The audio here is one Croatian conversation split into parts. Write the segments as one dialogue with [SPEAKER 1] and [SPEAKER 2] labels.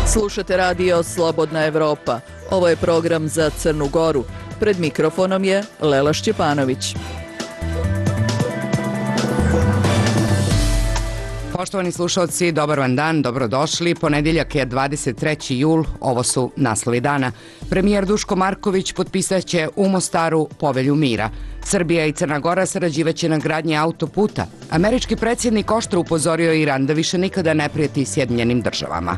[SPEAKER 1] Slušate radio Slobodna Evropa. Ovo je program za Crnu Goru. Pred mikrofonom je Lela Šćepanović.
[SPEAKER 2] Poštovani slušalci, dobar vam dan, dobrodošli. Ponedjeljak je 23. jul, ovo su naslovi dana. Premijer Duško Marković potpisat će u Mostaru povelju mira. Srbija i Crna Gora sarađivaće na gradnji autoputa. Američki predsjednik oštro upozorio Iran da više nikada ne prijeti Sjedinjenim državama.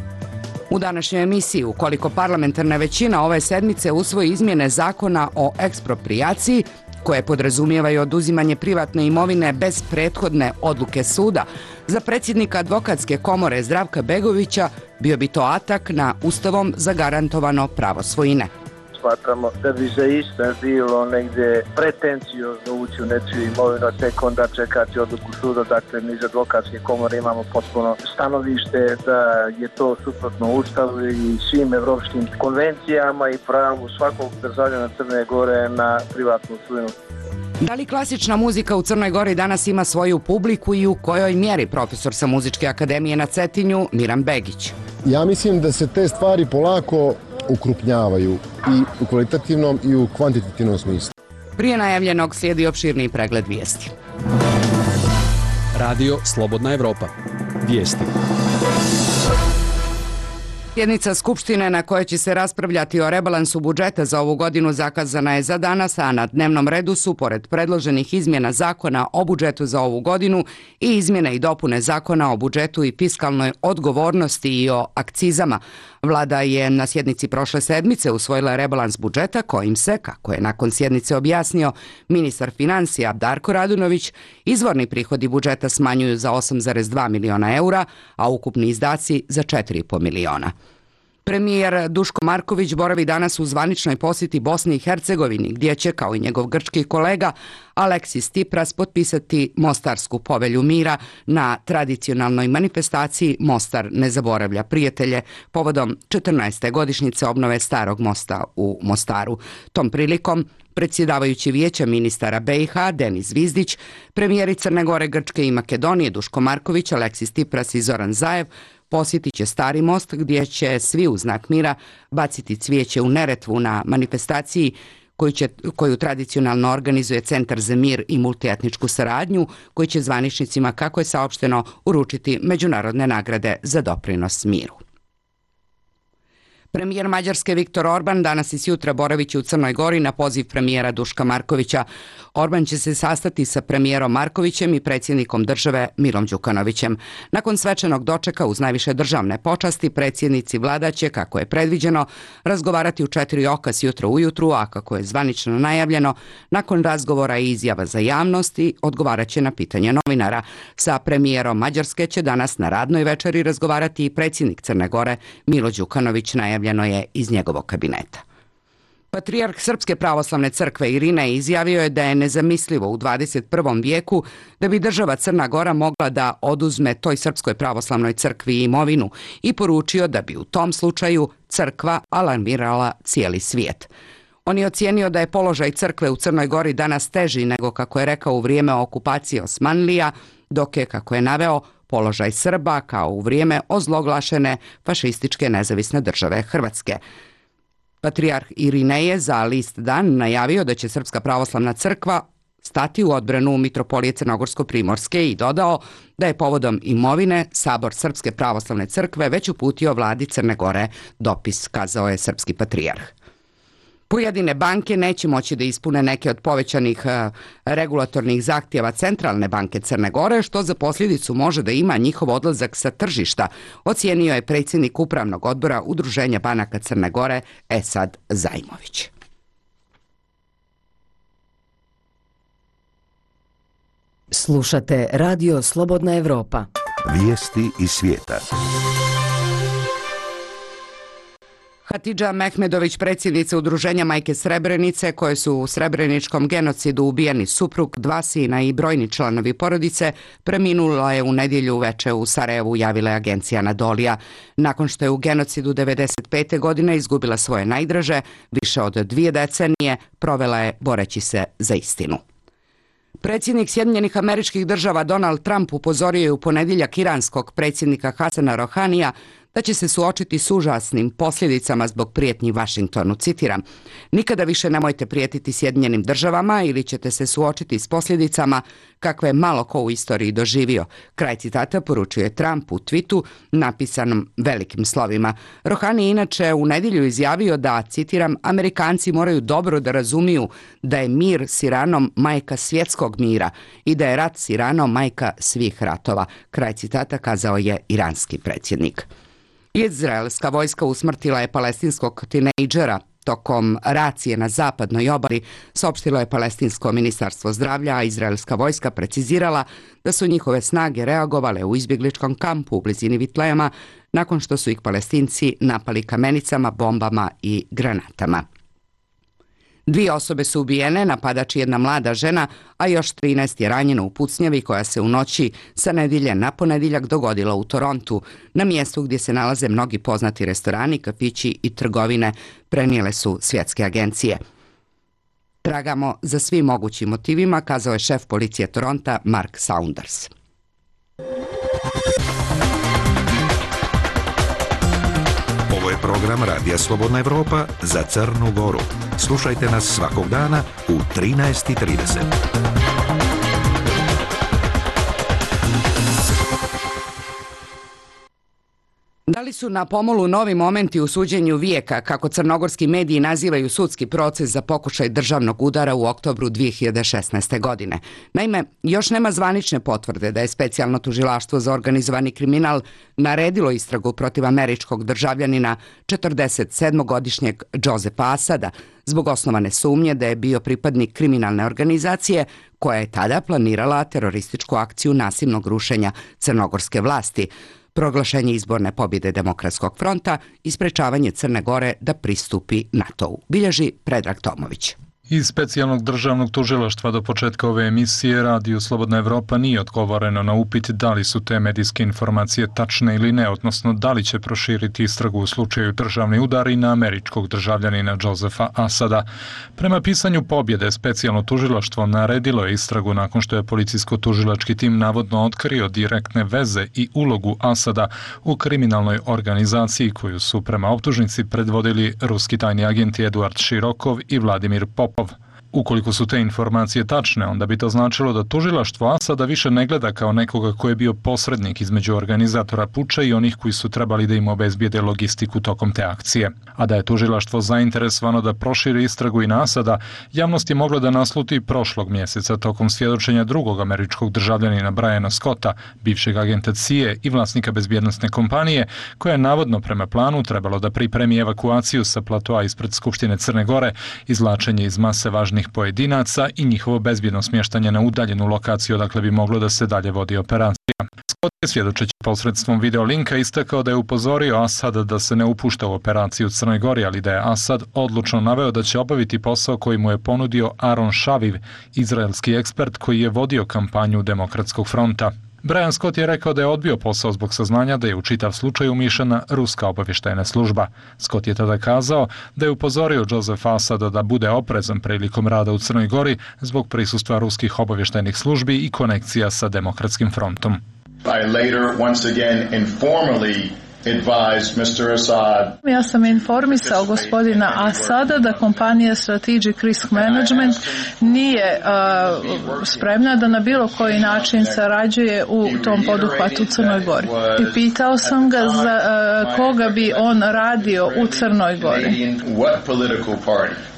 [SPEAKER 2] U današnjoj emisiji, ukoliko parlamentarna većina ove sedmice usvoji izmjene zakona o eksproprijaciji, koje podrazumijevaju oduzimanje privatne imovine bez prethodne odluke suda, za predsjednika advokatske komore Zdravka Begovića bio bi to atak na Ustavom zagarantovano pravo svojine.
[SPEAKER 3] Smatramo da bi zaista bilo negdje pretenciozno ući u nečiju imovinu, tek onda čekati odluku suda. Dakle, mi iz advokatske komore imamo potpuno stanovište da je to suprotno Ustavu i svim evropskim konvencijama i pravu svakog državljana Crne Gore na privatnu svojinu.
[SPEAKER 2] Da li klasična muzika u Crnoj Gori danas ima svoju publiku i u kojoj mjeri? Profesor sa Muzičke akademije na Cetinju, Miran Begić.
[SPEAKER 4] Ja mislim da se te stvari polako ukrupnjavaju i u kvalitativnom i u kvantitativnom smislu.
[SPEAKER 2] Prije najavljenog slijedi opširniji pregled vijesti.
[SPEAKER 5] Radio Slobodna Evropa. Vijesti.
[SPEAKER 2] Sjednica Skupštine na kojoj će se raspravljati o rebalansu budžeta za ovu godinu zakazana je za danas, a na dnevnom redu su, pored predloženih izmjena zakona o budžetu za ovu godinu, i izmjene i dopune zakona o budžetu i fiskalnoj odgovornosti i o akcizama. Vlada je na sjednici prošle sedmice usvojila rebalans budžeta kojim se, kako je nakon sjednice objasnio ministar financija Darko Radunović, izvorni prihodi budžeta smanjuju za 8,2 miliona eura, a ukupni izdaci za 4,5 miliona. Premijer Duško Marković boravi danas u zvaničnoj posjeti Bosni i Hercegovini, gdje će, kao i njegov grčki kolega Aleksis Tsipras, potpisati Mostarsku povelju mira na tradicionalnoj manifestaciji Mostar ne zaboravlja prijatelje povodom 14. godišnjice obnove Starog mosta u Mostaru. Tom prilikom predsjedavajući vijeća ministara BiH Denis Zvizdić, premijeri Crne Gore, Grčke i Makedonije Duško Marković, Aleksis Tsipras i Zoran Zaev posjetit će Stari most, gdje će svi u znak mira baciti cvijeće u Neretvu na manifestaciji koju tradicionalno organizuje Centar za mir i multietničku saradnju, koji će zvaničnicima, kako je saopšteno, uručiti međunarodne nagrade za doprinos miru. Premijer Mađarske Viktor Orban danas i sjutra boravit će u Crnoj Gori na poziv premijera Duška Markovića. Orban će se sastati sa premijerom Markovićem i predsjednikom države Milom Đukanovićem. Nakon svečanog dočeka uz najviše državne počasti, predsjednici vlada će, kako je predviđeno, razgovarati u 4 oka sjutro ujutru, a kako je zvanično najavljeno, nakon razgovora i izjava za javnost i odgovarat će na pitanje novinara. Sa premijerom Mađarske će danas na radnoj večeri razgovarati i predsjednik Crne Gore Milo Đukanović, najavljeno je iz njegovog kabineta. Patrijarh Srpske pravoslavne crkve Irinej izjavio je da je nezamislivo u 21. vijeku da bi država Crna Gora mogla da oduzme toj Srpskoj pravoslavnoj crkvi imovinu i poručio da bi u tom slučaju crkva alarmirala cijeli svijet. On je ocijenio da je položaj crkve u Crnoj Gori danas teži nego, kako je rekao, u vrijeme okupacije Osmanlija, dok je, kako je naveo, položaj Srba kao u vrijeme ozloglašene fašističke nezavisne države Hrvatske. Patrijarh Irinej je za list Dan najavio da će Srpska pravoslavna crkva stati u odbranu mitropolije Crnogorsko-primorske i dodao da je povodom imovine Sabor Srpske pravoslavne crkve već uputio vladi Crne Gore dopis, kazao je srpski patrijarh. Pojedine banke neće moći da ispune neke od povećanih regulatornih zahtjeva Centralne banke Crne Gore, što za posljedicu može da ima njihov odlazak sa tržišta, ocijenio je predsjednik Upravnog odbora Udruženja banaka Crne Gore Esad Zajmović.
[SPEAKER 6] Slušate Radio Slobodna Evropa.
[SPEAKER 7] Vijesti iz svijeta.
[SPEAKER 2] Hatidža Mehmedović, predsjednica Udruženja Majke Srebrenice, koje su u srebreničkom genocidu ubijeni suprug, 2 sina i brojni članovi porodice, preminula je u nedjelju uveče u Sarajevu, javila je agencija Anadolija. Nakon što je u genocidu 1995. godine izgubila svoje najdraže, više od 2 decenije provela je boreći se za istinu. Predsjednik Sjedinjenih Američkih Država Donald Trump upozorio je u ponedjeljak iranskog predsjednika Hasana Rohanija da će se suočiti s užasnim posljedicama zbog prijetnji Vašingtonu. Citiram: "Nikada više nemojte prijetiti Sjedinjenim državama ili ćete se suočiti s posljedicama kakve je malo ko u istoriji doživio." Kraj citata poručuje Trump u twitu napisanom velikim slovima. Rohani je inače u nedjelju izjavio da, citiram, "Amerikanci moraju dobro da razumiju da je mir s Iranom majka svjetskog mira i da je rat s Iranom majka svih ratova." Kraj citata kazao je iranski predsjednik. Izraelska vojska usmrtila je palestinskog tinejdžera tokom racije na zapadnoj obali, saopštilo je palestinsko ministarstvo zdravlja, a izraelska vojska precizirala da su njihove snage reagovale u izbjegličkom kampu u blizini Vitlejama nakon što su ih Palestinci napali kamenicama, bombama i granatama. 2 osobe su ubijene, napadač je jedna mlada žena, a još 13 je ranjeno u pucnjavi koja se u noći sa nedjelje na ponedjeljak dogodila u Torontu, na mjestu gdje se nalaze mnogi poznati restorani, kafići i trgovine, prenijele su svjetske agencije. "Tragamo za svim mogućim motivima", kazao je šef policije Toronta Mark Saunders.
[SPEAKER 7] Ovo je program Radija Slobodna Evropa za Crnu Goru. Slušajte nas svakog dana u 13:30.
[SPEAKER 2] Da li su na pomolu novi momenti u suđenju vijeka, kako crnogorski mediji nazivaju sudski proces za pokušaj državnog udara u oktobru 2016. godine? Naime, još nema zvanične potvrde da je specijalno tužilaštvo za organizovani kriminal naredilo istragu protiv američkog državljanina 47-godišnjeg Josefa Asada zbog osnovane sumnje da je bio pripadnik kriminalne organizacije koja je tada planirala terorističku akciju nasilnog rušenja crnogorske vlasti, proglašenje izborne pobjede Demokratskog fronta i sprečavanje Crne Gore da pristupi NATO-u, bilježi Predrag Tomović.
[SPEAKER 8] Iz specijalnog državnog tužilaštva do početka ove emisije Radio Slobodna Evropa nije odgovoreno na upit da li su te medijske informacije tačne ili ne, odnosno da li će proširiti istragu u slučaju državni udar i na američkog državljanina Josefa Asada. Prema pisanju pobjede, specijalno tužilaštvo naredilo je istragu nakon što je policijsko-tužilački tim navodno otkrio direktne veze i ulogu Asada u kriminalnoj organizaciji koju su prema optužnici predvodili ruski tajni agenti Eduard Širokov i Vladimir Popov. Ukoliko su te informacije tačne, onda bi to značilo da tužilaštvo Asada više ne gleda kao nekoga ko je bio posrednik između organizatora puča i onih koji su trebali da im obezbijede logistiku tokom te akcije. A da je tužilaštvo zainteresovano da proširi istragu i na Asada, javnost je mogla da nasluti prošlog mjeseca tokom svjedočenja drugog američkog državljanina Briana Scotta, bivšeg agenta CIA i vlasnika bezbjednosne kompanije, koja je navodno prema planu trebalo da pripremi evakuaciju sa platoa ispred Skupštine Crne Gore, izvlačenje iz mase važnih pojedinaca i njihovo bezbjedno smještanje na udaljenu lokaciju odakle bi moglo da se dalje vodi operacija. Scott je svjedočeći posredstvom videolinka istakao da je upozorio Asada da se ne upušta u operaciju u Crnoj Gori, ali da je Asad odlučno naveo da će obaviti posao koji mu je ponudio Aaron Šaviv, izraelski ekspert koji je vodio kampanju Demokratskog fronta. Brian Scott je rekao da je odbio posao zbog saznanja da je u čitav slučaj umiješana ruska obavještajna služba. Scott je tada kazao da je upozorio Josefa Asada da bude oprezan prilikom rada u Crnoj Gori zbog prisustva ruskih obavještajnih službi i konekcija sa Demokratskim frontom.
[SPEAKER 9] I later once again informally advised Mr. Assad.
[SPEAKER 10] Ja sam informisao gospodina Asada da kompanija Strategic Risk Management nije spremna da na bilo koji način sarađuje u tom poduhvatu u Crnoj Gori. I pitao sam ga za koga bi on radio u Crnoj Gori.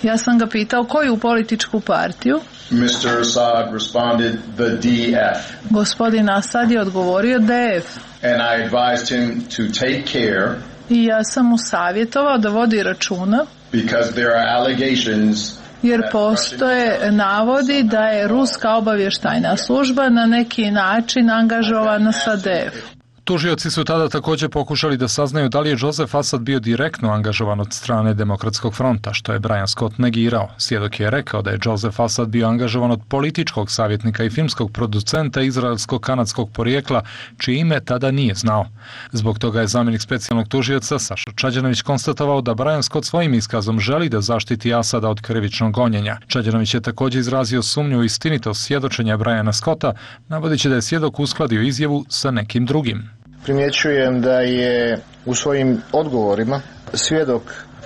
[SPEAKER 10] Ja sam ga pitao koju političku partiju.
[SPEAKER 9] Mr. Assad responded the DF.
[SPEAKER 10] Gospodin Asad je odgovorio DF.
[SPEAKER 9] And I advised him to take care.
[SPEAKER 10] I ja sam mu savjetovao da vodi računa.
[SPEAKER 9] Because there are allegations.
[SPEAKER 10] Jer postoje navodi da je ruska obavještajna služba na neki način angažovana sa DF.
[SPEAKER 8] Tužioci su tada također pokušali da saznaju da li je Josef Asad bio direktno angažovan od strane Demokratskog fronta, što je Brian Scott negirao. Svjedok je rekao da je Josef Asad bio angažovan od političkog savjetnika i filmskog producenta izraelsko-kanadskog porijekla, čije ime tada nije znao. Zbog toga je zamjenik specijalnog tužioca Saša Čađanović konstatovao da Brian Scott svojim iskazom želi da zaštiti Asada od krivičnog gonjenja. Čađanović je također izrazio sumnju u istinitost svjedočenja Briana Scotta, navodeći da je svjedok uskladio izjavu sa nekim drugim.
[SPEAKER 3] Primjećujem da je u svojim odgovorima svjedok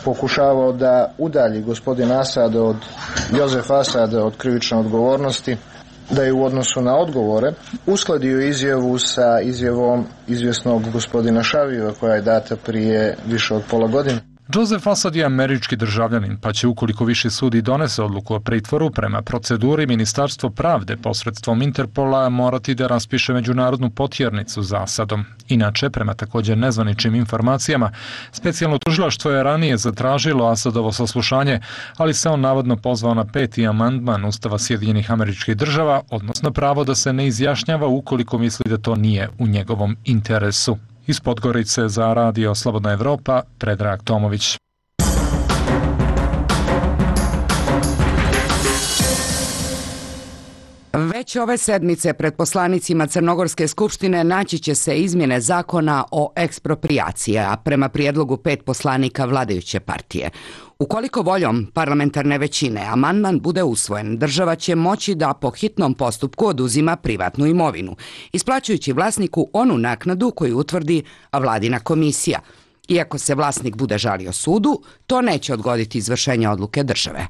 [SPEAKER 3] pokušavao da udalji gospodin Asad od Josef Asad od krivične odgovornosti, da je u odnosu na odgovore uskladio izjavu sa izjavom izvjesnog gospodina Šavijeva koja je data prije više od pola godine.
[SPEAKER 8] Josef Asad je američki državljanin, pa će ukoliko Viši sud i donese odluku o pritvoru prema proceduri, Ministarstvo pravde posredstvom Interpola morati da raspiše međunarodnu potjernicu za Asadom. Inače, prema također nezvaničnim informacijama, specijalno tužilaštvo je ranije zatražilo Asadovo saslušanje, ali se on navodno pozvao na 5. amandman Ustava Sjedinjenih Američkih Država, odnosno pravo da se ne izjašnjava ukoliko misli da to nije u njegovom interesu. Iz Podgorice za Radio Slobodna Evropa, Predrag Tomović.
[SPEAKER 2] Već ove sedmice pred poslanicima Crnogorske skupštine naći će se izmjene zakona o eksproprijaciji, a prema prijedlogu 5 poslanika vladajuće partije. Ukoliko voljom parlamentarne većine amandman bude usvojen, država će moći da po hitnom postupku oduzima privatnu imovinu, isplaćujući vlasniku onu naknadu koju utvrdi vladina komisija. Iako se vlasnik bude žalio sudu, to neće odgoditi izvršenje odluke države.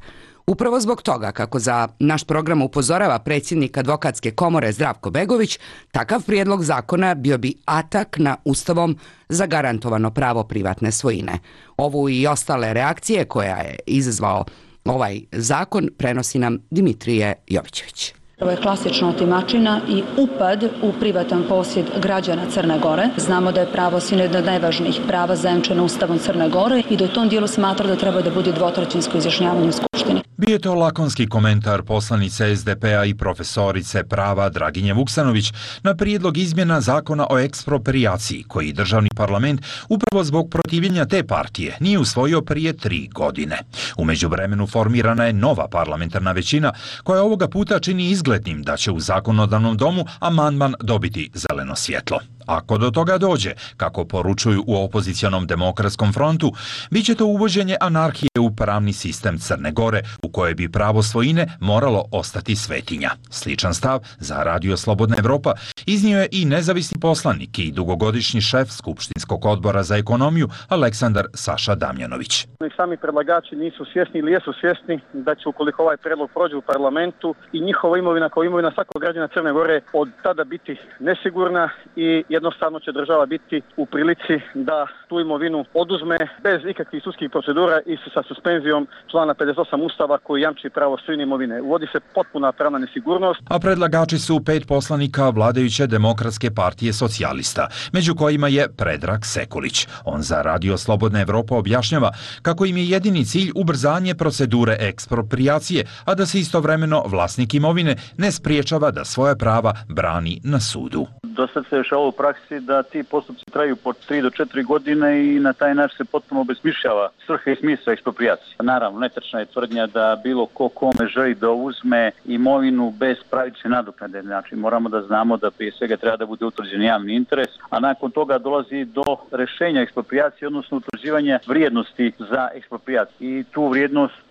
[SPEAKER 2] Upravo zbog toga, kako za naš program upozorava predsjednik Advokatske komore Zdravko Begović, takav prijedlog zakona bio bi atak na Ustavom zagarantovano pravo privatne svojine. Ovu i ostale reakcije koja je izazvao ovaj zakon prenosi nam Dimitrije Jovićević.
[SPEAKER 11] Ovo je klasična otimačina i upad u privatan posjed građana Crne Gore. Znamo da je pravo jedno od najvažnijih prava zajamčeno Ustavom Crne Gore i da u tom dijelu smatra da treba da bude dvotrećinsko izjašnjavanje u Skupštini.
[SPEAKER 12] Bio je to lakonski komentar poslanice SDP-a i profesorice prava Draginje Vuksanović na prijedlog izmjena zakona o eksproprijaciji koji državni parlament upravo zbog protivljenja te partije nije usvojio prije 3 godine. U međuvremenu formirana je nova parlamentarna većina koja ovoga puta čini izglednim da će u zakonodavnom domu amandman dobiti zeleno svjetlo. Ako do toga dođe, kako poručuju u opozicionom demokratskom frontu, bit će to uvođenje anarhije u pravni sistem Crne Gore, u kojoj bi pravo svojine moralo ostati svetinja. Sličan stav za Radio Slobodna Evropa iznio je i nezavisni poslanik i dugogodišnji šef Skupštinskog odbora za ekonomiju Aleksandar Saša Damjanović.
[SPEAKER 13] Sami predlagači nisu svjesni ili jesu svjesni da će ukoliko ovaj predlog prođe u parlamentu i njihova imovina kao imovina svakog građana Crne Gore od tada biti nesigurna i jednostavno će država biti u prilici da tu imovinu oduzme bez ikakvih sudskih procedura i sa suspenzijom člana 58 Ustava koji jamči pravo svojine imovine. Uvodi se potpuna pravna nesigurnost.
[SPEAKER 12] A predlagači su 5 poslanika vladajuće Demokratske partije socijalista, među kojima je Predrag Sekulić. On za Radio Slobodna Evropa objašnjava kako im je jedini cilj ubrzanje procedure eksproprijacije, a da se istovremeno vlasnik imovine ne spriječava da svoja prava brani na sudu.
[SPEAKER 14] Do sad se dešava u praksi da ti postupci traju po 3 do 4 godine i na taj način se potpuno obesmišljava svrha i smisao eksproprijacije. Naravno, netačna je tvrdnja da bilo ko kome želi da uzme imovinu bez pravične nadoknade. Znači, moramo da znamo da prije svega treba da bude utvrđen javni interes, a nakon toga dolazi do rešenja eksproprijacije, odnosno utvrđivanja vrijednosti za eksproprijaciju. I tu vrijednost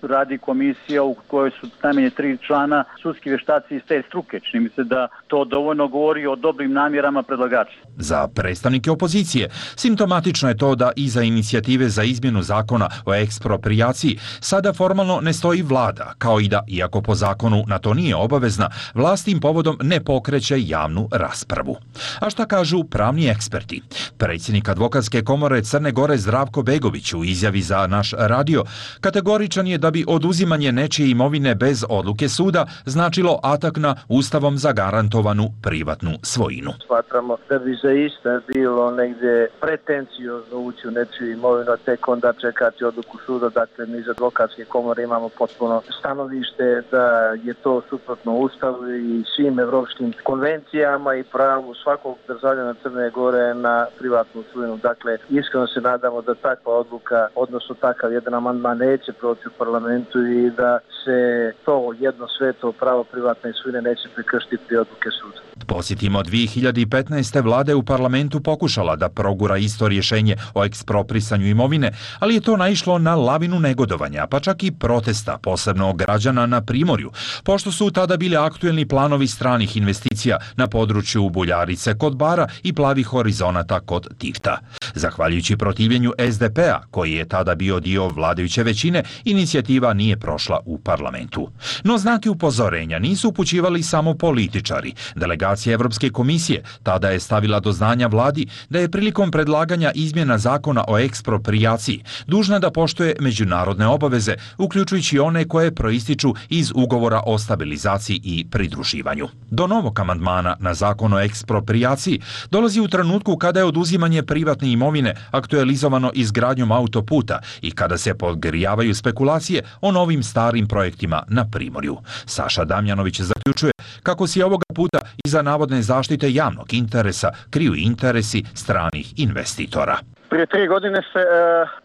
[SPEAKER 14] radi komisija u kojoj su najmanje 3 člana sudski vještaci iz te struke. Čini mi se da to dovoljno govori o dobrim namjerama predlagača.
[SPEAKER 12] Za predstavnike opozicije simptomatično je to da iza inicijative za izmjenu zakona o eksproprijaciji sada formalno ne stoji vlada, kao i da, iako po zakonu na to nije obavezna, vlast tim povodom ne pokreće javnu raspravu. A šta kažu pravni eksperti? Predsjednik Advokatske komore Crne Gore Zdravko Begović u izjavi za naš radio kategoričan je da bi oduzimanje nečije imovine bez odluke suda značilo atak na Ustavom zagarantovanu privatnu svojinu.
[SPEAKER 3] Smatramo da bi zaista bilo negdje pretenciozno ući u nečiju imovinu, a tek onda čekati odluku suda. Dakle, mi iz Advokatske komore imamo potpuno stanovište da je to suprotno Ustavu i svim evropskim konvencijama i pravu svakog državljana Crne Gore na privatnu svojinu. Dakle, iskreno se nadamo da takva odluka, odnosno takav jedan amandman neće proći u parlamentu i da se to jedno sveto pravo privatne svojine neće prekršiti pri odluke suda.
[SPEAKER 12] Posjetimo, 2015. vlada je u parlamentu pokušala da progura isto rješenje o eksproprisanju imovine, ali je to naišlo na lavinu negodovanja, pa čak i protesta, posebno građana na Primorju, pošto su tada bili aktuelni planovi stranih investicija na području Buljarice kod Bara i Plavih horizonata kod Tifta. Zahvaljujući protivljenju SDP-a, koji je tada bio dio vladajuće većine, inicijativa nije prošla u parlamentu. No znake upozorenja nisu upućivali samo političari. Delegacija Evropske komisije tada je stavila do znanja vladi da je prilikom predlaganja izmjena zakona o eksproprijaciji dužna da poštuje međunarodne obaveze, uključujući one koje proističu iz ugovora o stabilizaciji i pridruživanju. Do novog amandmana na zakon o eksproprijaciji dolazi u trenutku kada je oduzimanje privatne imovine aktualizovano izgradnjom autoputa i kada se podgrijavaju spekulacije o novim starim projektima na Primorju. Saša Damjanović zaključuje kako se ovoga puta iza navodne zaštite javnog interesa kriju interesi stranih investitora.
[SPEAKER 13] Prije 3 godine se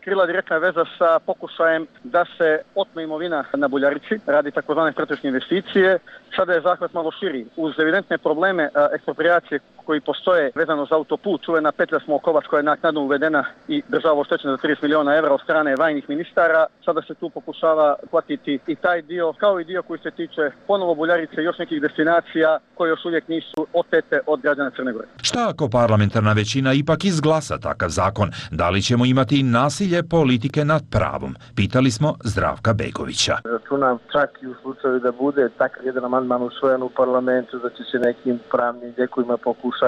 [SPEAKER 13] krila direktna veza sa pokušajem da se otme imovina na Buljarici radi takozvane strateške investicije. Sada je zahvat malo širi. Uz evidentne probleme eksproprijacije koji postoje vezano za autoput, čuvena petlja Smolkovac koja je naknadno uvedena i država oštećena za 30 miliona evra od strane vajnih ministara. Sada se tu pokušava platiti i taj dio, kao i dio koji se tiče ponovo Buljarice i još nekih destinacija koje još uvijek nisu otete od građana Crne Gore.
[SPEAKER 12] Šta ako parlamentarna većina ipak izglasa takav zakon? Da li ćemo imati nasilje politike nad pravom? Pitali smo Zdravka Begovića.
[SPEAKER 3] Računam čak i u slučaju da bude takav jedan amandman usvojen u parlamentu, da će se nekim pravnim lijekovima pokušati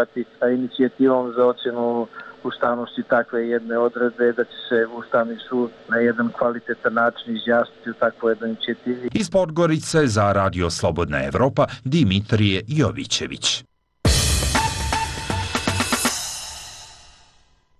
[SPEAKER 3] inicijativom za ocjenu ustavnosti takve jedne odredbe, da će se Ustavni sud na jedan kvalitetan način izjasniti u takvoj jednoj inicijativi.
[SPEAKER 12] Iz Podgorice za Radio Slobodna Evropa, Dimitrije Jovićević.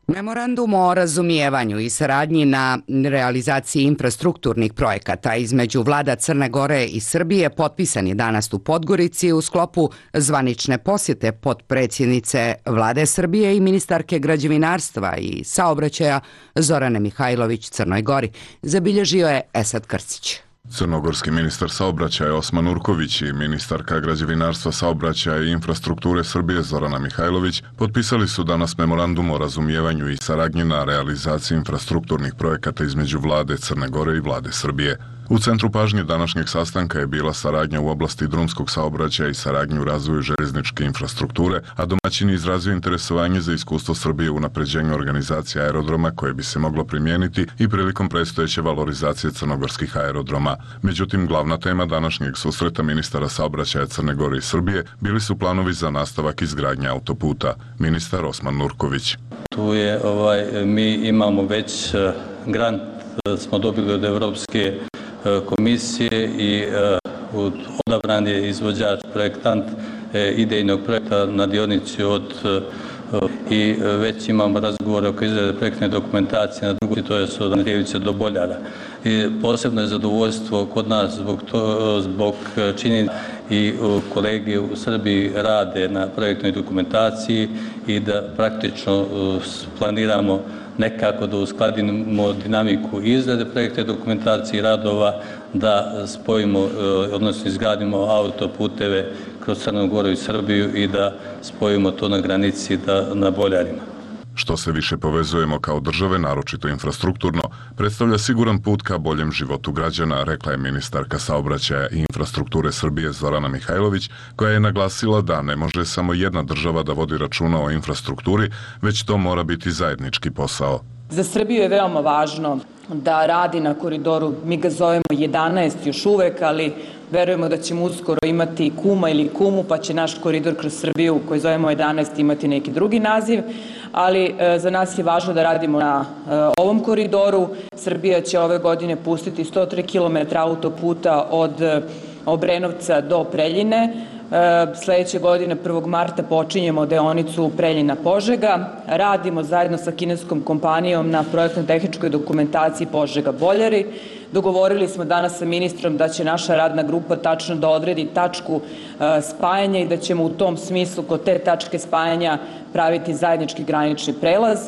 [SPEAKER 2] Memorandum o razumijevanju i saradnji na realizaciji infrastrukturnih projekata između vlada Crne Gore i Srbije potpisan je danas u Podgorici u sklopu zvanične posjete potpredsjednice vlade Srbije i ministarke građevinarstva i saobraćaja Zorane Mihajlović Crnoj Gori, zabilježio je Esad Krstić.
[SPEAKER 15] Crnogorski ministar saobraćaja Osman Urković i ministarka građevinarstva, saobraćaja i infrastrukture Srbije Zorana Mihajlović potpisali su danas memorandum o razumijevanju i saradnji na realizaciji infrastrukturnih projekata između vlade Crne Gore i vlade Srbije. U centru pažnje današnjeg sastanka je bila saradnja u oblasti drumskog saobraćaja i saradnju u razvoju željezničke infrastrukture, a domaćin je izrazio interesovanje za iskustvo Srbije u unapređenju organizacije aerodroma koje bi se moglo primijeniti i prilikom predstojeće valorizacije crnogorskih aerodroma. Međutim, glavna tema današnjeg susreta ministara saobraćaja Crne Gore i Srbije bili su planovi za nastavak izgradnje autoputa. Ministar Osman Nurković.
[SPEAKER 16] Tu je mi imamo već grant smo dobili od Evropske komisije i odabran je izvođač, projektant idejnog projekta na dionici i već imamo razgovore oko izrade projektne dokumentacije na drugoj, to je od Andrijevice do Boljara. I posebno je zadovoljstvo kod nas zbog činjenica i kolege u Srbiji rade na projektnoj dokumentaciji i da praktično planiramo nekako da uskladimo dinamiku izrade projekte dokumentacije i radova, da spojimo, odnosno izgradimo autoputeve kroz Crnu Goru i Srbiju i da spojimo to na granici na Boljarima.
[SPEAKER 15] Što se više povezujemo kao države, naročito infrastrukturno, predstavlja siguran put ka boljem životu građana, rekla je ministarka saobraćaja i infrastrukture Srbije Zorana Mihajlović, koja je naglasila da ne može samo jedna država da vodi računa o infrastrukturi, već to mora biti zajednički posao.
[SPEAKER 17] Za Srbiju je veoma važno da radi na koridoru, mi ga zovemo 11 još uvek, ali verujemo da ćemo uskoro imati Kuma ili Kumu, pa će naš koridor kroz Srbiju koji zovemo 11 imati neki drugi naziv, ali za nas je važno da radimo na ovom koridoru. Srbija će ove godine pustiti 103 km autoputa od Obrenovca do Preljine. Sledeće godine 1. marta počinjemo deonicu Preljina-Požega. Radimo zajedno sa kineskom kompanijom na projektno-tehničkoj dokumentaciji Požega-Boljari. Dogovorili smo danas sa ministrom da će naša radna grupa tačno da odredi tačku spajanja i da ćemo u tom smislu kod te tačke spajanja praviti zajednički granični prelaz.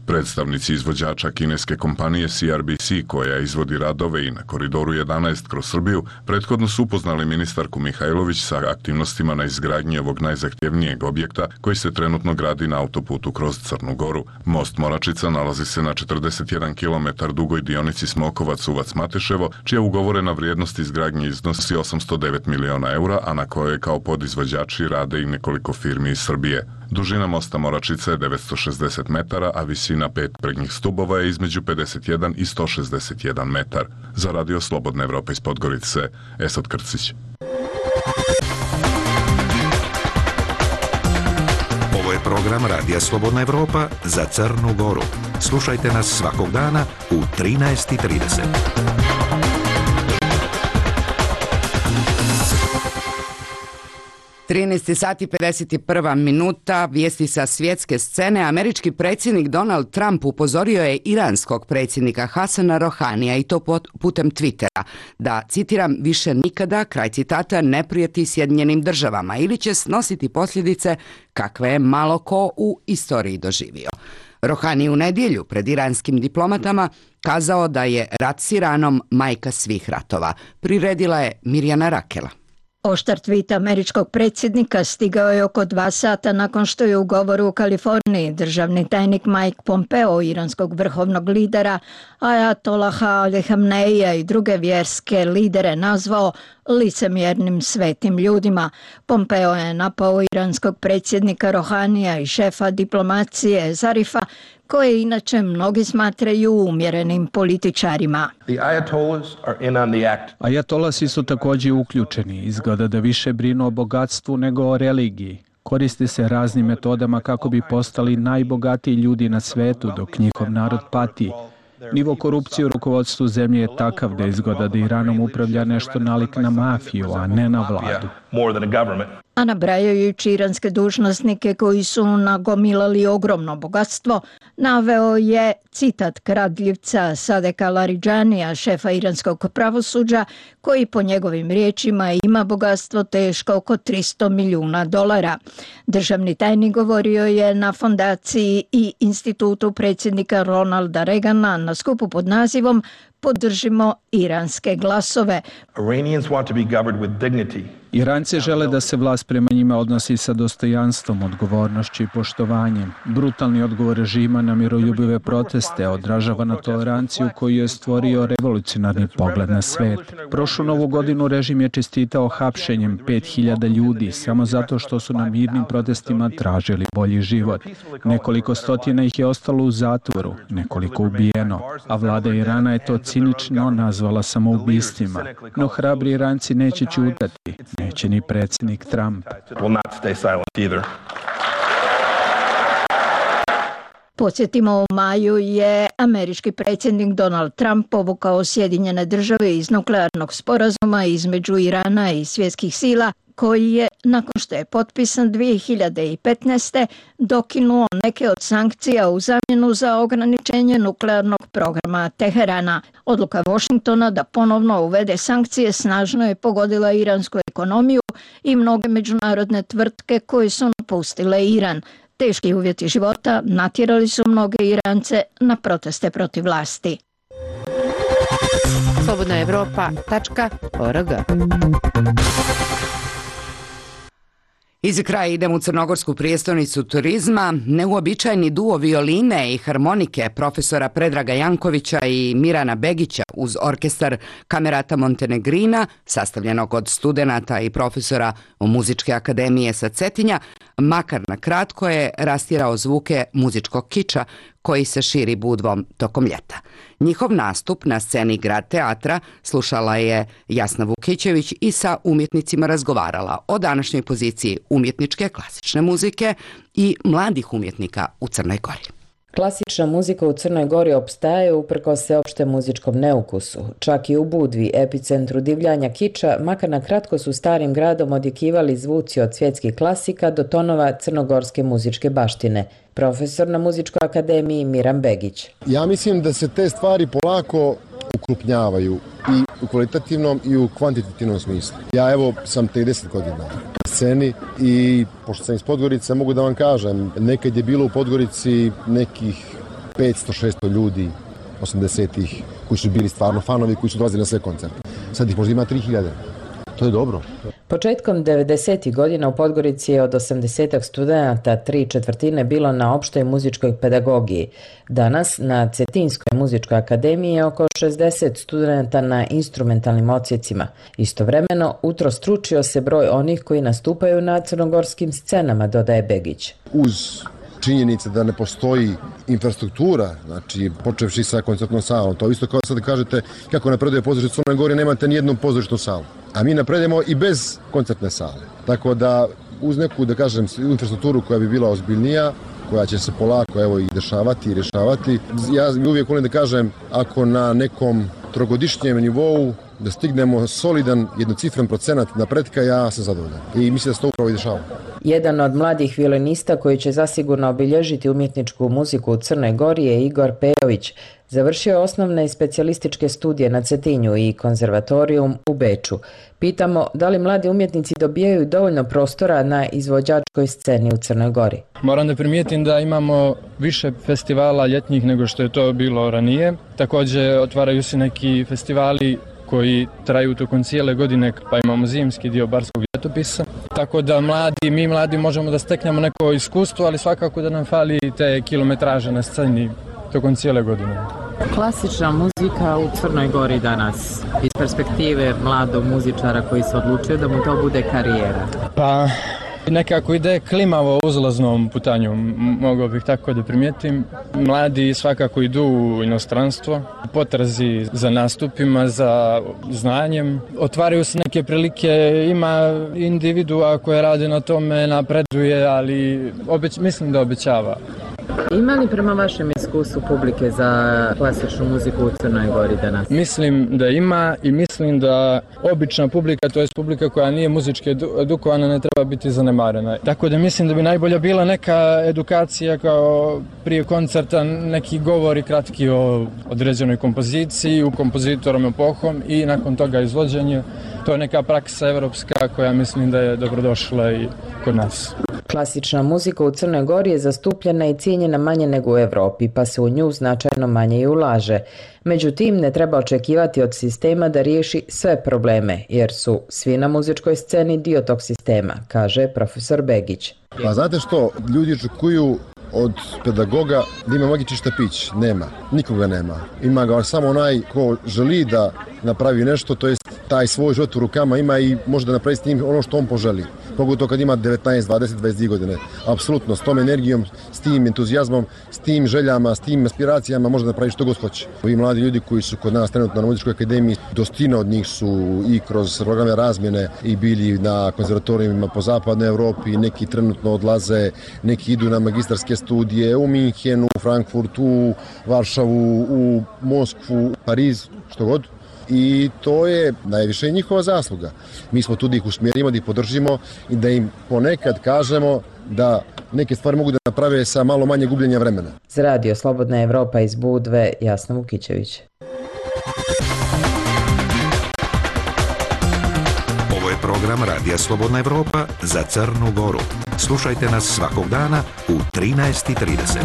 [SPEAKER 15] Predstavnici izvođača kineske kompanije CRBC, koja izvodi radove i na koridoru 11 kroz Srbiju, prethodno su upoznali ministarku Mihajlović sa aktivnostima na izgradnji ovog najzahtjevnijeg objekta koji se trenutno gradi na autoputu kroz Crnu Goru. Most Moračica nalazi se na 41 km dugoj dionici Smokovac-Uvac-Mateševo, čija ugovorena vrijednost izgradnje iznosi 809 miliona eura, a na kojoj kao podizvođači rade i nekoliko firmi iz Srbije. Dužina mosta Moračica je 960 metara, a visina 5 prednjih stubova je između 51 i 161 metar. Za Radio Slobodna Evropa iz Podgorice, Esad Krcić.
[SPEAKER 7] Ovo je program Radija Slobodna Evropa za Crnu Goru. Slušajte nas svakog dana u 13:30.
[SPEAKER 2] 13 sati 51 minuta, vijesti sa svjetske scene. Američki predsjednik Donald Trump upozorio je iranskog predsjednika Hasana Rohanija, i to putem Twittera, da, citiram, više nikada, kraj citata, ne prijeti Sjedinjenim državama ili će snositi posljedice kakve je malo ko u istoriji doživio. Rohani u nedjelju pred iranskim diplomatama kazao da je rat s Iranom majka svih ratova. Priredila je Mirjana Rakela.
[SPEAKER 18] Oštar tweet američkog predsjednika stigao je oko 2 sata nakon što je u govoru u Kaliforniji državni tajnik Mike Pompeo, iranskog vrhovnog lidera Ajatolaha Ali Khameneija i druge vjerske lidere nazvao licemjernim svetim ljudima. Pompeo je napao iranskog predsjednika Rohanija i šefa diplomacije Zarifa, koje inače mnogi smatraju umjerenim političarima.
[SPEAKER 19] Ajatolasi su također uključeni. Izgleda da više brinu o bogatstvu nego o religiji. Koriste se raznim metodama kako bi postali najbogatiji ljudi na svetu, dok njihov narod pati. Nivo korupcije u rukovodstvu zemlje je takav da izgleda da Iranom upravlja nešto nalik na mafiju, a ne na vladu.
[SPEAKER 18] A nabrajajući iranske dužnosnike koji su nagomilali ogromno bogatstvo, naveo je citat kradljivca Sadeka Laridžanija, šefa iranskog pravosuđa, koji po njegovim riječima ima bogatstvo teško oko $300 milijuna. Državni tajnik govorio je na fondaciji i institutu predsjednika Ronalda Reagana na skupu pod nazivom Podržimo iranske glasove.
[SPEAKER 19] Iranci žele da se vlast prema njima odnosi sa dostojanstvom, odgovornošću i poštovanjem. Brutalni odgovor režima na miroljubive proteste odražava na toleranciju koju je stvorio revolucionarni pogled na svet. Prošlu novu godinu režim je čestitao hapšenjem 5000 ljudi samo zato što su na mirnim protestima tražili bolji život. Nekoliko stotina ih je ostalo u zatvoru, nekoliko ubijeno, a vlada Irana je to cinično nazvala samoubistvima. No hrabri Iranci neće ćutati. Neće ni predsjednik Trump.
[SPEAKER 18] Podsjetimo, u maju je američki predsjednik Donald Trump povukao Sjedinjene države iz nuklearnog sporazuma između Irana i svjetskih sila, koji je, nakon što je potpisan 2015. dokinuo neke od sankcija u zamjenu za ograničenje nuklearnog programa Teherana. Odluka Washingtona da ponovno uvede sankcije snažno je pogodila iransku ekonomiju i mnoge međunarodne tvrtke koje su napustile Iran. Teški uvjeti života natjerali su mnoge Irance na proteste protiv vlasti.
[SPEAKER 6] slobodnaevropa.org.
[SPEAKER 2] I za kraj idemo u crnogorsku prijestolnicu turizma. Neuobičajeni duo violine i harmonike profesora Predraga Jankovića i Mirana Begića uz orkestar Kamerata Montenegrina, sastavljenog od studenata i profesora Muzičke akademije sa Cetinja, makar na kratko je rastjerao zvuke muzičkog kiča koji se širi budvom tokom ljeta. Njihov nastup na sceni Grad teatra slušala je Jasna Vukićević i sa umjetnicima razgovarala o današnjoj poziciji umjetničke klasične muzike i mladih umjetnika u Crnoj Gori.
[SPEAKER 6] Klasična muzika u Crnoj Gori opstaje uprkos sveopštem muzičkom neukusu. Čak i u Budvi, epicentru divljanja kiča, makar na kratko su starim gradom odjekivali zvuci od svjetskih klasika do tonova crnogorske muzičke baštine. Profesor na Muzičkoj akademiji Miran Begić.
[SPEAKER 4] Ja mislim da se te stvari polako ukrupnjavaju i u kvalitativnom i u kvantitativnom smislu. Ja evo sam 30 godina na sceni i pošto sam iz Podgorice mogu da vam kažem, nekad je bilo u Podgorici nekih 500-600 ljudi 80-ih koji su bili stvarno fanovi, koji su dolazili na sve koncerte. Sad ih možda ima 3000. To je dobro.
[SPEAKER 6] Početkom 90. godina u Podgorici je od 80 studenata 3/4 bilo na opštoj muzičkoj pedagogiji. Danas na Cetinskoj muzičkoj akademiji je oko 60 studenata na instrumentalnim odsjecima. Istovremeno utrostručio se broj onih koji nastupaju na crnogorskim scenama, dodaje Begić.
[SPEAKER 4] Uz činjenice da ne postoji infrastruktura, znači počevši sa koncertnom salom, to isto kao sad da kažete kako napreduje pozorište u Crnoj Gori, nemate nijednu pozorišnu salu. A mi napredujemo i bez koncertne sale. Tako da uz neku, da kažem, infrastrukturu koja bi bila ozbiljnija, koja će se polako evo i dešavati i rješavati. Ja uvijek volim da kažem, ako na nekom trogodišnjem nivou da stignemo solidan jednocifren procenat napretka, ja sam zadovoljan. I mislim da se to upravo i dešava.
[SPEAKER 6] Jedan od mladih violinista koji će zasigurno obilježiti umjetničku muziku u Crnoj Gori je Igor Pejović. Završio je osnovne i specijalističke studije na Cetinju i konzervatorijum u Beču. Pitamo da li mladi umjetnici dobijaju dovoljno prostora na izvođačkoj sceni u Crnoj Gori.
[SPEAKER 20] Moram da primijetim da imamo više festivala ljetnih nego što je to bilo ranije. Također otvaraju se neki festivali koji traju tokom cijele godine, pa imamo zimski dio barskog ljetopisa. Tako da mi mladi možemo da steknemo neko iskustvo, ali svakako da nam fali te kilometraže na sceni tokom cijele godine.
[SPEAKER 21] Klasična muzika u Crnoj Gori danas, iz perspektive mladog muzičara koji se odlučio da mu to bude karijera.
[SPEAKER 20] Pa nekako ide klimavo uzlaznom putanju, mogao bih tako da primijetim. Mladi svakako idu u inostranstvo, potrazi za nastupima, za znanjem. Otvaraju se neke prilike, ima individua koje rade na tome, napreduje, ali mislim da obećava.
[SPEAKER 21] Ima li prema vašem iskustvu publike za klasičnu muziku u Crnoj Gori danas?
[SPEAKER 20] Mislim da ima i mislim da obična publika, to je publika koja nije muzički edukovana, ne treba biti zanemarena. Tako da mislim da bi najbolja bila neka edukacija kao prije koncerta, neki govori kratki o određenoj kompoziciji, u kompozitorom epohom i nakon toga izvođenje. To je neka praksa evropska koja mislim da je dobrodošla i kod nas.
[SPEAKER 6] Klasična muzika u Crnoj Gori je zastupljena i cijenjena manje nego u Evropi, pa se u nju značajno manje i ulaže. Međutim, ne treba očekivati od sistema da riješi sve probleme, jer su svi na muzičkoj sceni dio tog sistema, kaže profesor Begić.
[SPEAKER 4] Pa znate što, ljudi očekuju od pedagoga da ima magični štapić. Nema, nikoga nema. Ima ga samo onaj ko želi da napravi nešto, to jest taj svoj život u rukama ima i može da napravi s njim ono što on poželi. Pogotovo kad ima 19, 20, 22 godine. Apsolutno, s tom energijom, s tim entuzijazmom, s tim željama, s tim aspiracijama može da napravi što god hoće. Ovi mladi ljudi koji su kod nas trenutno na muzičkoj akademiji, dostina od njih su i kroz programe razmjene i bili na konzervatorijima po zapadnoj Evropi, neki trenutno odlaze, neki idu na magistarske studije u Minhenu, u Frankfurtu, u Varšavu, u Moskvu, Pariz, što god. I to je najviše njihova zasluga. Mi smo tu da ih usmjerimo, da ih podržimo i da im ponekad kažemo da neke stvari mogu da naprave sa malo manje gubljenja vremena.
[SPEAKER 6] Za Radio Slobodna Evropa iz Budve, Jasna Vukićević.
[SPEAKER 7] Ovo je program Radija Slobodna Evropa za Crnu Goru. Slušajte nas svakog dana u 13:30.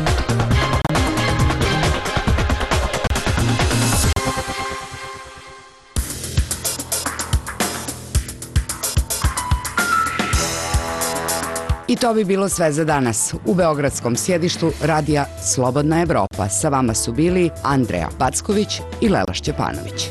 [SPEAKER 2] I to bi bilo sve za danas. U beogradskom sjedištu Radija Slobodna Evropa sa vama su bili Andreja Packović i Lela Šćepanović.